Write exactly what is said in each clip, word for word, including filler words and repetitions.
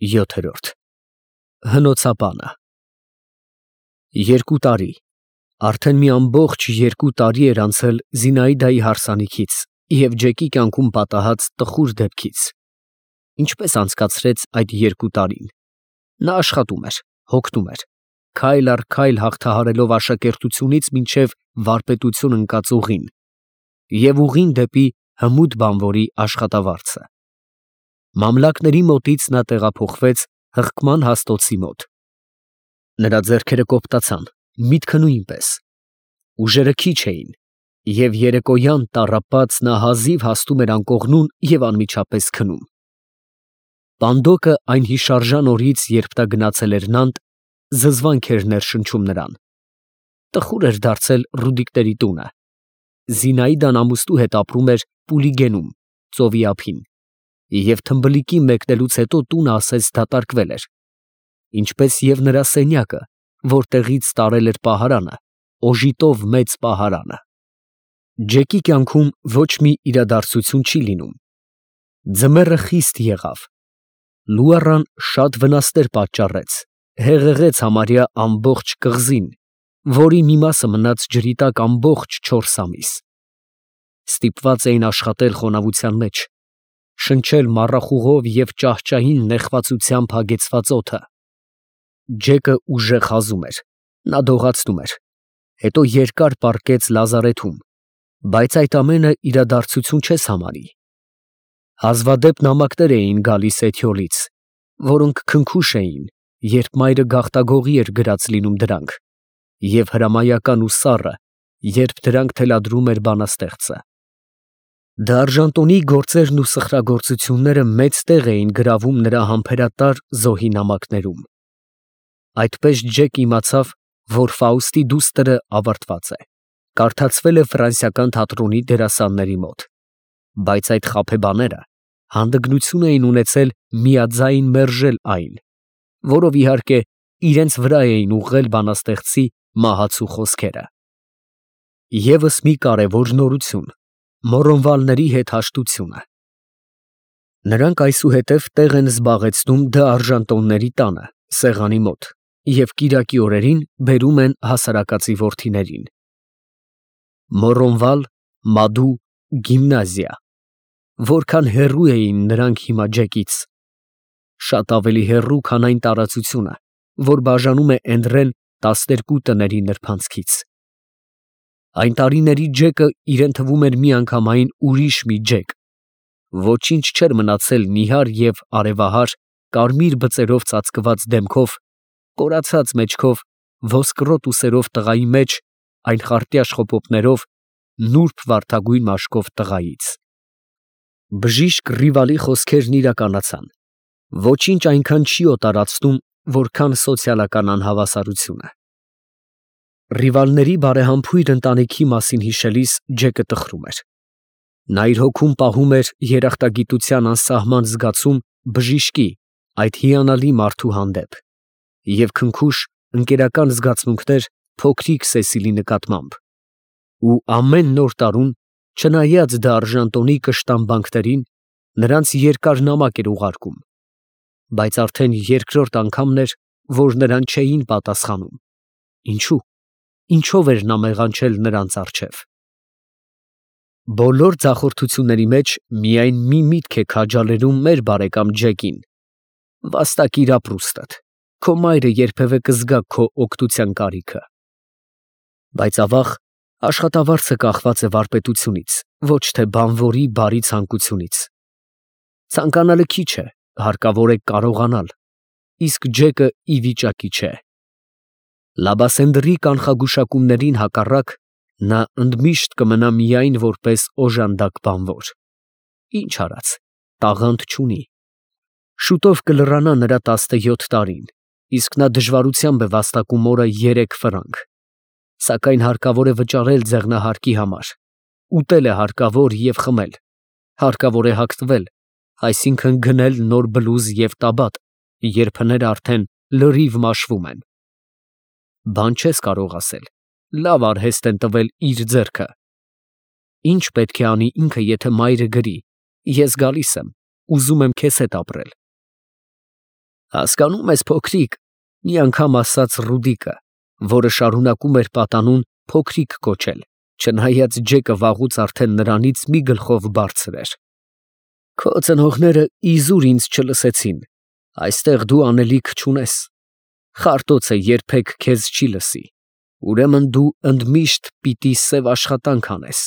ՅՈԹԵՐՈՐԴ Հնոցապանը Երկու տարի, արդեն մի ամբողջ երկու տարի էր անցել Զինայդայի հարսանիքից և Ջեկի կյանքում պատահած տխուր դեպքից։ Ինչպես անցկացրեց այդ երկու տարին։ Նա աշխատում էր, հոգնում էր, քայլ առ քայլ հաղթահարելով աշակերտությունից մինչև վարպետություն ընկած ուղին և ուղին դեպի հմուտ բանվորի աշխատավարձը։ Մամլակների մոտից նա տեղափոխվեց հղկման հաստոցի մոտ։ Նրա ձեռքերը կոպտացան, միտքը նույնպես։ Ուժերը քիչ էին, և երեկոյան տառապած նա հազիվ հասնում էր անկողնուն և անմիջապես քնում։ Պանդոկը այն հիշարժան օրից, երբ նա գնացել էր Նանտ, զզվանք էր ներշնչում նրան։ Տխուր էր դարձել Ռուդիկների տունը։ Զինայդան ամուսնու հետ ապրում էր Պուլիգենում, ծովի ափին, և թմբլիկի մեկնելուց հետո տունը ասես դատարկվել էր, ինչպես և նրա սենյակը, որտեղից տարել էր պահարանը, օժիտով մեծ պահարանը։ Ջեկի կյանքում ոչ մի իրադարձություն չի լինում։ Ձմեռը խիստ եղավ։ Լուառան շատ վնասներ պատճառեց, հեղեղեց համարյա ամբողջ կղզին, որի մի մասը մնաց ջրի տակ ամբողջ չորս ամիս։ Ստիպված էին աշխատել խոնավության մեջ, շնչել մառախուղով և ճահճային նեխվածությամբ հագեցված օդը։ Ջեկը ուժեղ հազում էր, նա դողացնում էր, հետո երկար պառկեց լազարեթում, բայց այդ ամենը իրադարձություն չես համարի։ Հազվադեպ նամակներ էին գալիս Էթիոլից, որոնք քնքուշ էին, երբ մայրը գաղտագողի էր գրած լինում դրանք, և հրամայական ու սառը, երբ դրանք թելադրում էր բանաստեղծը։ Դարժանտոնի գործերն ու սխրագործությունները մեծ տեղ էին գրավում նրա համբերատար զոհի նամակներում։ Այդպես Ջեկը իմացավ, որ Ֆաուստի դուստրը ավարտված է, կարդացվել է ֆրանսիական թատրոնի դերասանների մոտ, բայց այդ խաբեբաները հանդգնություն էին ունեցել միաձայն մերժել այն, որով իհարկե իրենց վրա էին ուղղել բանաստեղծի մահացու խոսքերը։ Եվս մի կարևոր նորություն. Մոռոնվալների հետ հաշտությունը։ Նրանք այսուհետև տեղ են զբաղեցնում դ'Արժանտոնների տանը, սեղանի մոտ, և կիրակի օրերին բերում են հասարակածի որդիներին։ Մոռոնվալ, Մադու, գիմնազիա… Որքան հեռու էին նրանք հիմա Ջեկից։ Շատ ավելի հեռու, քան այն տարածությունը, որ բաժանում է Էնդրեն տասներկու տների նրբանցքից։ Այն տարիների Ջեկը իրեն թվում էր միանգամայն ուրիշ մի Ջեք։ Ոչինչ չէր մնացել նիհար և արևահար, կարմիր բծերով ծածկված դեմքով, կորացած մեջքով, ոսկրոտ ուսերով տղայի մեջ, այն խարտյաշ խոպոպներով, նուրբ վարդագույն մաշկով տղայից։ Բժիշկ Ռիվալի խոսքերն իրականացան։ Ոչինչ այնքան չի օտարացնում, որքան սոցիալական անհավասարությունը։ Ռիվալների բարեհամբույր ընտանիքի մասին հիշելիս Ջեկը տխրում էր։ Նա իր հոգում պահում էր երախտագիտության անսահման զգացում բժիշկի, այդ հիանալի մարդու հանդեպ, և քնքուշ, ընկերական զգացմունքներ փոքրիկ Սեսիլի նկատմամբ։ Ու ամեն նոր տարում, չնայած դ'Արժանտոնի կշտամբանքներին, նրանց երկար նամակ էր ուղարկում, բայց արդեն երկրորդ անգամն էր, որ նրան չէին պատասխանում։ Ինչո՞ւ, ինչո՞վ էր նա մեղանչել նրանց առջև։ Բոլոր ձախորդությունների մեջ միայն մի միտք է քաջալերում մեր բարեկամ Ջեկին. վաստակիր ապրուստդ, քո մայրը երբևէ կզգա քո օգնության կարիքը։ Բայց ավաղ, աշխատավարձը կախված է վարպետությունից, ոչ թե բանվորի բարի ցանկությունից։ Ցանկանալը քիչ է, հարկավոր է կարողանալ, իսկ Ջեկը ի վիճակի չէ։ Լաբասենդրի կանխագուշակումներին հակառակ, նա ընդմիշտ կմնա միայն որպես օժանդակ բանվոր։ Ինչ արած, տաղանդ չունի։ Շուտով կլռանա նրա տասնյոթ տարին, իսկ նա դժվարությամբ է վաստակում օրը երեք ֆրանկ։ Սակայն հարկավոր է վճարել ձեղնահարկի համար, ուտել է հարկավոր և խմել, հարկավոր է հագնվել, այսինքն գնել նոր բլուզ և տաբատ, երբ հները արդեն լրիվ մաշվում են։ Բան չես կարող ասել, լավ արհեստ են տվել իր ձեռքը։ Ինչ պետք է անի ինքը, եթե մայրը գրի. «Ես գալիս եմ, ուզում եմ քեզ հետ ապրել»։ Հասկանում ես, փոքրիկ, մի անգամ ասաց Ռուդիկը, որը շարունակում էր պատանուն փոքրիկ կոչել, չնայած Ջեկը վաղուց արդեն նրանից մի գլխով բարձր էր. քո ծնողները իզուր ինձ չլսեցին, այստեղ դու անելիք չունես, խարտոցը երբեք քեզ չի լսի, ուրեմն դու ընդմիշտ պիտի սև աշխատանք անես,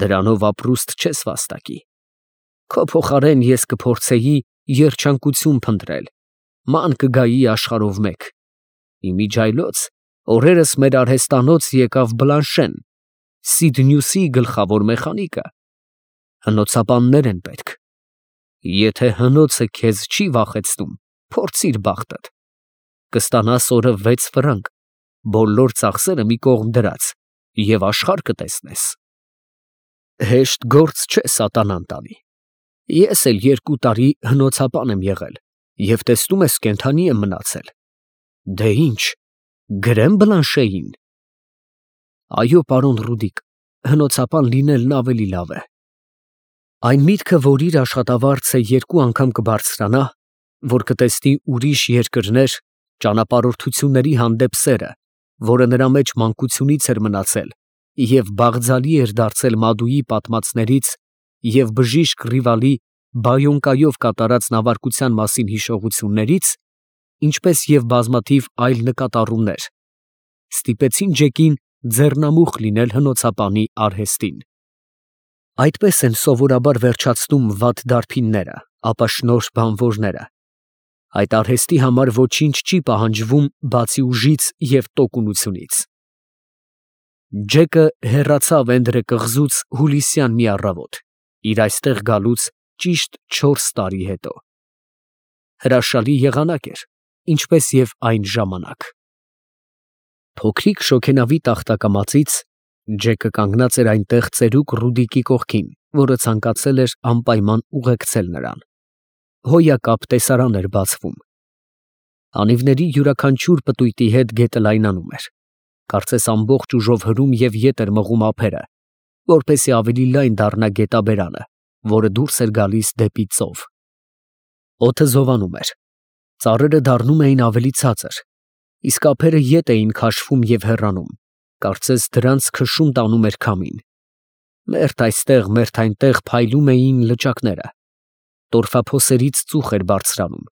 դրանով ապրուստ չես վաստակի, քո փոխարեն ես կփորձեի երջանկություն փնտրել, ման կգայի աշխարհով մեկ, իմիջայլոց օրերս մեր արհեստանոց եկավ Բլանշեն, Սիդնյուսի գլխավոր մեխանիկը, հնոցապաններ են պետք, եթե հնոցը քեզ չի վախեցնում, փորձիր բախտդ, կստանաս օրը վեց ֆրանկ, բոլոր ծախսերը մի կողմ դրած և աշխարհ կտեսնես։ Հեշտ գործ չէ սատանան տանի, ես էլ երկու տարի հնոցապան եմ եղել և տեսնում ես կենդանի եմ մնացել, դե ինչ, գրե՞մ Բլանշեին։ Այո, պարոն Ռուդիկ, հնոցապան լինելն ավելի լավ է։ Այն միտքը, որ իր աշխատավարձը երկու անգամ կբարձրանա, որ կտեսնի ուրիշ երկրներ, ճանապարհորդությունների հանդեպ սերը, որը նրա մեջ մանկությունից էր մնացել և բաղձալի էր դարձել Մադուի պատմածներից և բժիշկ Ռիվալի Բայոնկայով կատարած նավարկության մասին հիշողություններից, ինչպես և բազմաթիվ այլ նկատառումներ, ստիպեցին Ջեկին ձեռնամուխ լինել հնոցապանի արհեստին։ Այդպես են սովորաբար վերջացնում վատ դարբինները, ապա շնորհ բանվորները։ Այդ արհեստի համար ոչինչ չի պահանջվում բացի ուժից և տոկունությունից։ Ջեկը հեռացավ Էնդրե կղզուց հուլիսյան մի առավոտ, իր այստեղ գալուց ճիշտ չորս տարի հետո։ Հրաշալի եղանակ էր, ինչպես և այն ժամանակ։ Փոքրիկ շոգենավի տախտակամածից Ջեկը կանգնած էր այնտեղ ծերուկ Ռուդիկի կողքին, որը ցանկացել էր անպայման ուղեկցել նրան։ Հոյակապ տեսարան էր բացվում։ Անիվների յուրաքանչյուր պտույտի հետ գետը լայնանում էր, կարծես ամբողջ ուժով հրում և ետ էր մղում ափերը, որպեսզի ավելի լայն դառնա գետաբերանը, որը դուրս էր գալիս դեպի ծով։ Օդը զովանում էր, ծառերը դառնում էին ավելի ցածր, իսկ ափերը ետ էին քաշվում և հեռանում, կարծես դրանց քշում տանում էր քամին։ Մերթ այստեղ, մերթ այնտեղ փայլում էին լճակները, տորֆափոսերից ծուխ էր բարձրանում,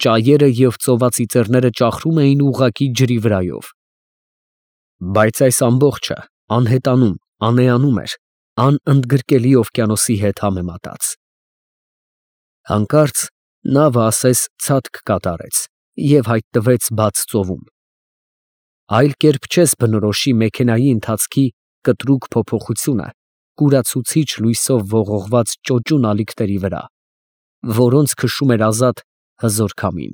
ճայերը և ծովածիծեռները ճախրում էին ուղղակի ջրի վրայով։ Բայց այս ամբողջը անհետանում, անեանում էր, անընդգրկելի օվկիանոսի հետ համեմատած։ Հանկարծ նավը ասես ցատկ կատարեց և հայտնվեց բաց ծովում։ Այլ կերպ չես բնորոշի մեքենայի ընթացքի կտրուկ փոփոխությունը կուրացուցիչ լույսով ողողված ճոճուն ալիքների վրա, որոնց քշում էր ազատ հզոր քամին։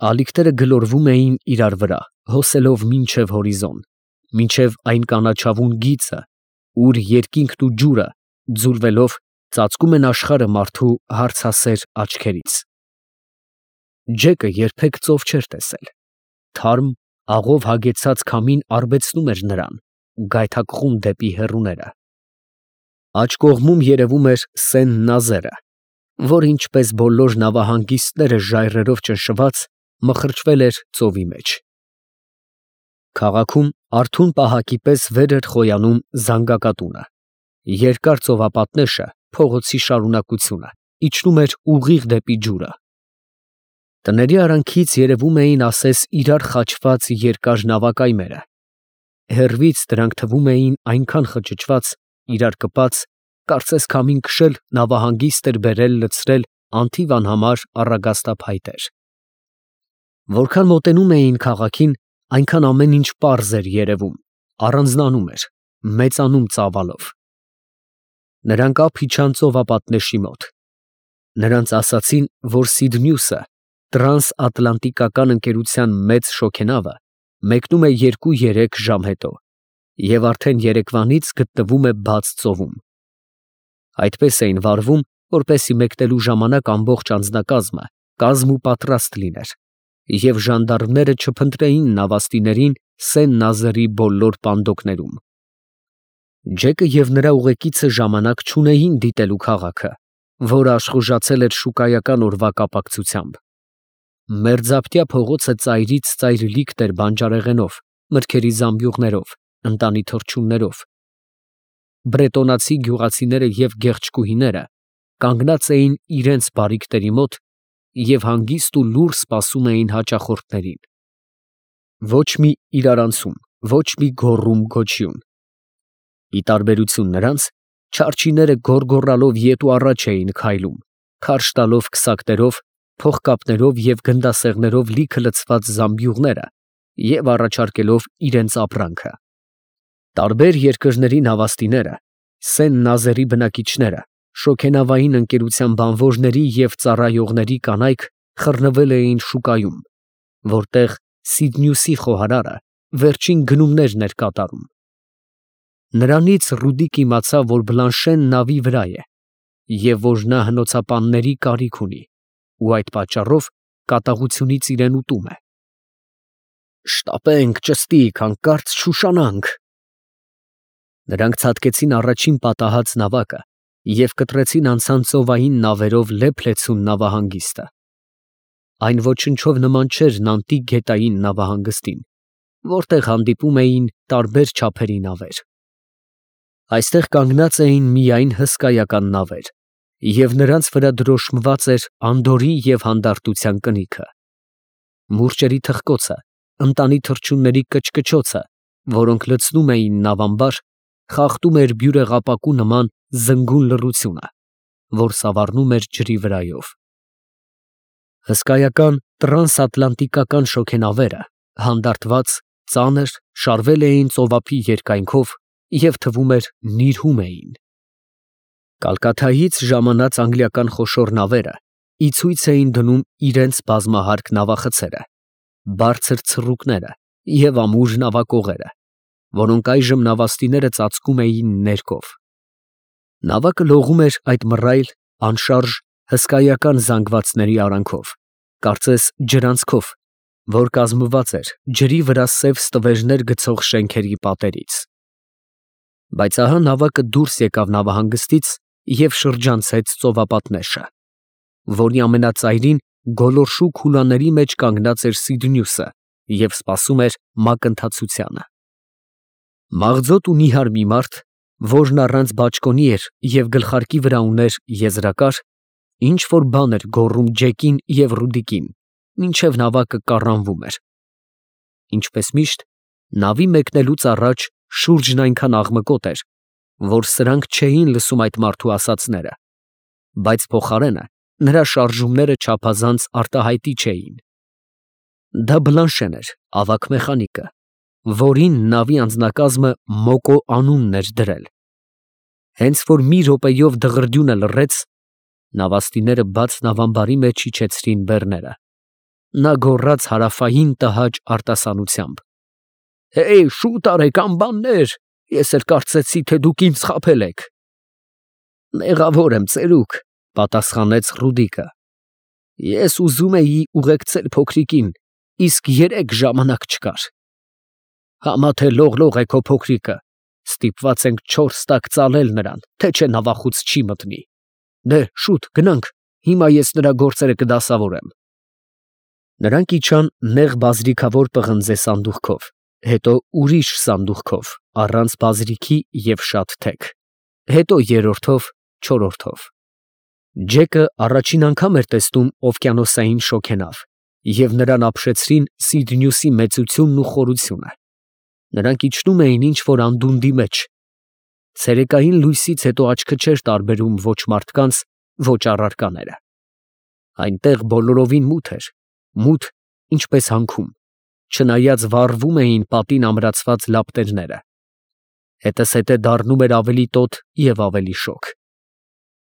Ալիքները գլորվում էին իրար վրա, հոսելով մինչև հորիզոն, մինչև այն կանաչավուն գիծը, ուր երկինքն ու ջուրը, ձուլվելով, ծածկում են աշխարհը մարդու հարցասեր աչքերից։ Ջեկը երբեք ծով չէր տեսել։ Թարմ, աղով հագեցած քամին արբեցնում էր նրան, գայթակղում դեպի հեռուները։ Աջ կողմում երևում էր Սեն Նազերը, որը ինչպես բոլոր նավահանգիստները ժայռերով ճնշված, մխրճվել էր ծովի մեջ։ Քաղաքում արթուն պահակի պես վեր էր խոյանում զանգակատունը։ Երկար ծովապատնեշը, փողոցի շարունակությունը, իջնում էր ուղիղ դեպի ջուրը։ Տների արանքից երևում էին ասես իրար խաչված երկար նավակայմերը։ Հեռվից դրանք թվում էին այնքան խճճված, իրար կպած, կարծես քամին քշել նավահանգիստ էր բերել լցրել անթիվ անհամար առագաստափայտեր։ Որքան մոտենում էին քաղաքին, այնքան ամեն ինչ պարզ էր երևում, առանձնանում էր, մեծանում ծավալով։ Նրանք ափ իջան ծովապատնեշի մոտ։ Նրանց ասացին, որ Սիդնյուսը, տրանսատլանտիկական ընկերության մեծ շոգենավը, մեկնում է երկու֊երեք ժամ հետո և արդեն երեկվանից գտնվում է բաց ծովում։ Այդպես էին վարվում, որպեսզի մեկնելու ժամանակ ամբողջ անձնակազմը կազմ ու պատրաստ լիներ, և ժանդարմները չփնտրեին նավաստիներին Սեն Նազերի բոլոր պանդոկներում։ Ջեկը և նրա ուղեկիցը ժամանակ չունեին դիտելու քաղաքը, որը աշխուժացել էր շուկայական օրվա կապակցությամբ։ Մերձապտյա փողոցը ծայրից ծայր լիքտ էր բանջարեղենով, մրգերի զամբյուղներով, ընտանի թռչուններով։ Բրետոնացի գյուղացիները և գեղեցկուհիները կանգնած էին իրենց բարիքների մոտ և հանգիստ ու լուռ սպասում էին հաճախորդներին։ Ոչ մի իրարանցում, ոչ մի գոռում֊գոչյուն։ Ի տարբերություն նրանց, չարչիները գոռգոռալով ետ ու առաջ էին քայլում, քարշ տալով քսակներով, փողկապներով և գնդասեղներով լիքը լցված զամբյուղները և առաջարկելով իրենց ապրանքը։ Տարբեր երկրների նավաստիները, սեն նազերի բնակիչները, շոգենավային ընկերության բանվորների և ծառայողների կանայք խռնվել էին շուկայում, որտեղ Սիդնյուսի խոհարարը վերջին գնումներն էր կատարում։ Նրանից Ռուդիկ իմացավ, որ Բլանշեն նավի վրա է և որ նա հնոցապանների կարիք ունի ու այդ պատճառով կատաղությունից իրան ուտում է։ «Շտապենք, ճստիկ, հանկարծ չուշանանք»։ Նրանք ցատկեցին առաջին պատահած նավակը և կտրեցին անցան ծովային նավերով լեփ֊լեցուն նավահանգիստը։ Այն ոչնչով նման չէր Նանտի գետային նավահանգստին, որտեղ հանդիպում էին տարբեր չափերի նավեր։ Այստեղ կանգնած էին միայն հսկայական նավեր, և նրանց վրա դրոշմված էր անդորրի և հանդարտության կնիքը։ Մուրճերի թխկոցը, ընտանի թռչունների կչկչոցը, որոնք լցնում էին նավամբար, խախտում էր բյուրեղապակու նման զնգուն լռությունը, որ սավառնում էր ջրի վրայով։ Հսկայական տրանսատլանտիկական շոգենավերը, հանդարտված, ծանր, շարվել էին ծովափի երկայնքով և թվում էր նիրհում էին։ Կալկաթայից ժամանած անգլիական խոշոր նավերը ի ցույց էին դնում իրենց բազմահարկ նավախցերը, բարձր ցռուկները և ամուր նավակողերը, որոնք այժմ նավաստիները ծածկում էին ներկով։ Նավակը լողում էր այդ մռայլ, անշարժ, հսկայական զանգվածների արանքով, կարծես ջրանցքով, որ կազմված էր ջրի վրա սև ստվերներ գցող շենքերի պատերից։ Բայց ահա նավակը դուրս եկավ նավահանգստից և շրջանցեց ծովապատնեշը, որի ամենածայրին գոլորշու քուլաների մեջ կանգնած էր Սիդնյուսը և սպասում էր մակընթացությանը։ Մաղձոտ ու նիհար մի մարդ, որն առանց բաճկոնի էր և գլխարկի վրա ուներ եզրակար, ինչ֊որ բան էր գոռում Ջեկին և Ռուդիկին, մինչև նավակը կառանվում էր։ Ինչպես միշտ, նավի մեկնելուց առաջ շուրջն այնքան աղմկոտ էր, որ սրանք չէին լսում այդ մարդու ասածները, բայց փոխարենը նրա շարժումները չափազանց արտահայտիչ էին։ Դա Բլանշեն էր, ավագ մեխանիկը, որին նավի անձնակազմը Մոկո անունն էր դրել։ Հենց որ մի րոպեով դղրդյունը լռեց, նավաստիները բաց նավամբարի մեջ իջեցրին բեռները։ Նա գոռաց հարավային տհաճ արտասանությամբ. «Հեյ, շուտ արեք, անբաններ, ես էլ կարծեցի, թե դուք ինձ խաբել եք»։ «Մեղավոր եմ, ծերուկ», ֊ պատասխանեց Ռուդիկը։ «Ես ուզում էի ուղեկցել փոքրիկին, իսկ երեկ ժամանակ չկար»։ «Համա թե լող֊լող է քո փոքրիկը, ստիպված ենք չորս տակ ծալել նրան, թե չէ նավախուց չի մտնի։ Դե՛հ, շուտ գնանք, հիմա ես նրա գործերը կդասավորեմ»։ Նրանք իջան նեղ բազրիքավոր պղնձե սանդուղքով, հետո ուրիշ սանդուղքով, առանց բազրիքի և շատ թեք, հետո երրորդով, չորրորդով։ Ջեկը առաջին անգամ էր տեսնում օվկիանոսային շոգենավ, և նրան ապշեցրին Սիդնյուսի մեծությունն ու խորությունը։ Նրանք իջնում էին ինչ֊որ անդունդի մեջ։ Ցերեկային լույսից հետո աչքը չէր տարբերում ոչ մարդկանց, ոչ առարկաները։ Այնտեղ բոլորովին մութ էր, մութ, ինչպես հանքում, չնայած վառվում էին պատին ամրացված լապտերները։ Հետզհետե դառնում էր ավելի տոտ և ավելի շոգ։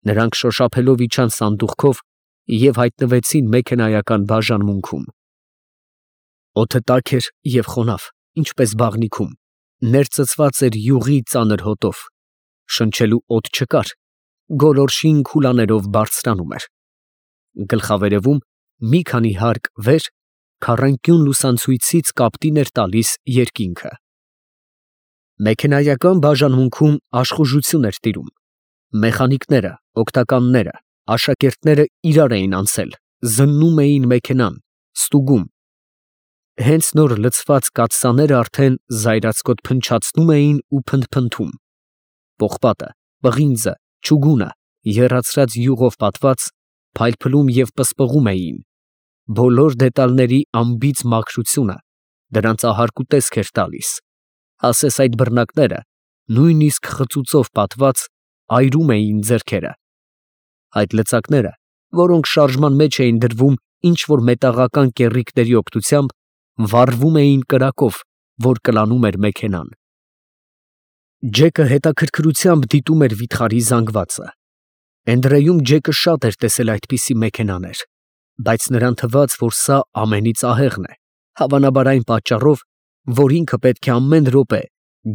Նրանք շոշափելով իջան սանդուղքով և հայտնվեցին մեքենայական բաժանմունքում։ Օդը տաք էր և խոնավ, ինչպես բաղնիքում, ներծծված էր յուղի ծանր հոտով, շնչելու օդ չկար, գոլորշին քուլաներով բարձրանում էր։ Գլխավերևում մի քանի հարկ վեր քառանկյուն լուսանցույցից կապտին էր տալիս երկինքը։ Մեքենայական բաժանմունքում աշխուժություն էր տիրում։ Մեխանիկները, օգնականները, աշակերտները իրար էին անցել, զննում էին մեքենան, ստուգում։ Հենց նոր լցված կաթսաները արդեն զայրացկոտ փնչացնում էին ու փնթփնթում։ Պողպատը, պղինձը, չուգունը, եռացրած յուղով պատված, փայլփլում և պսպղում էին։ Բոլոր դետալների անբիծ մաքրությունը դրանց ահարկու տեսք էր տալիս, ասես այդ բռնակները, նույնիսկ խծուծով պատված, այրում էին ձեռքերը։ Այդ լծակները, որոնք շարժման մեջ էին դրվում ինչ-որ մետաղական կեռիկների օգնությամբ, վառվում էին կրակով, որ կլանում էր մեքենան։ Ջեկը հետաքրքրությամբ դիտում էր վիթխարի զանգվածը։ Էնդրեյում Ջեկը շատ էր տեսել այդպիսի մեքենաներ, բայց նրան թվաց, որ սա ամենից ահեղն է, հավանաբար այն պատճառով, որ ինքը պետք է ամեն րոպե,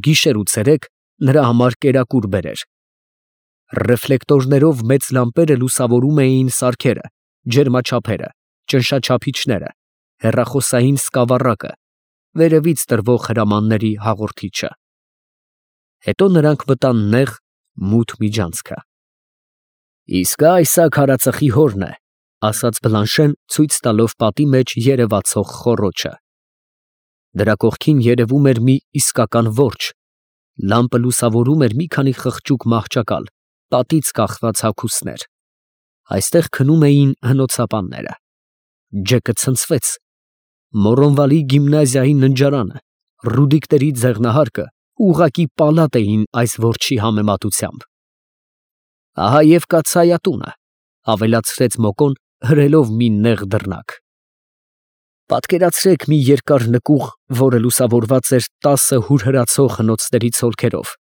գիշեր ու ցերեկ, նրա համար կերակուր բերեր։ Ռեֆլեկտորներով մեծ լամպերը լուսավորում էին սարքերը, ջերմաչափերը, ճնշաչափիչները, հեռախոսային սկավառակը, վերևից տրվող հրամանների հաղորդիչը։ Հետո նրանք մտան նեղ, մութ միջանցքը։ «Իսկ այս ա քարածխի հորն է», ասաց Բլանշեն, ցույց տալով պատի մեջ երևացող խոռոչը։ Դրա կողքին երևում էր մի իսկական որջը, լամպը լուսավորում էր մի քանի խղճուկ մահճակալ, պատից կախված հագուստներ։ Այստեղ քնում էին հնոցապանները։ Ջեկը ցնցվեց։ Մորոնվալի գիմնազիայի ննջարանը, Ռուդիկների ձեղնահարկը ուղղակի պալատ էին այս որջի համեմատությամբ։ «Ահա և կաթսայատունը», ավելացրեց Մոկոն, հրելով մի նեղ դռնակ։ Պատկերացրեք մի երկար նկուղ, որը լուսավորված էր տասը հուրհրացող հնոցների ցոլքերով։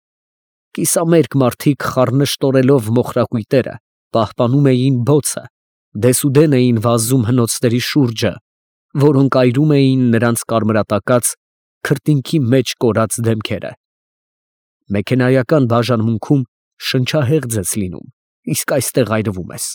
Կիսամերկ մարդիկ խառնշտորելով մոխրակույտերը, պահպանում էին բոցը, դեսուդեն էին վազում հնոցների շուրջը, որոնք այրում էին նրանց կարմրատակած, քրտինքի մեջ կորած դեմքերը։ Մեքենայական բաժանմունքում շնչահեղձ ես լինում, իսկ այստեղ այրվում ես։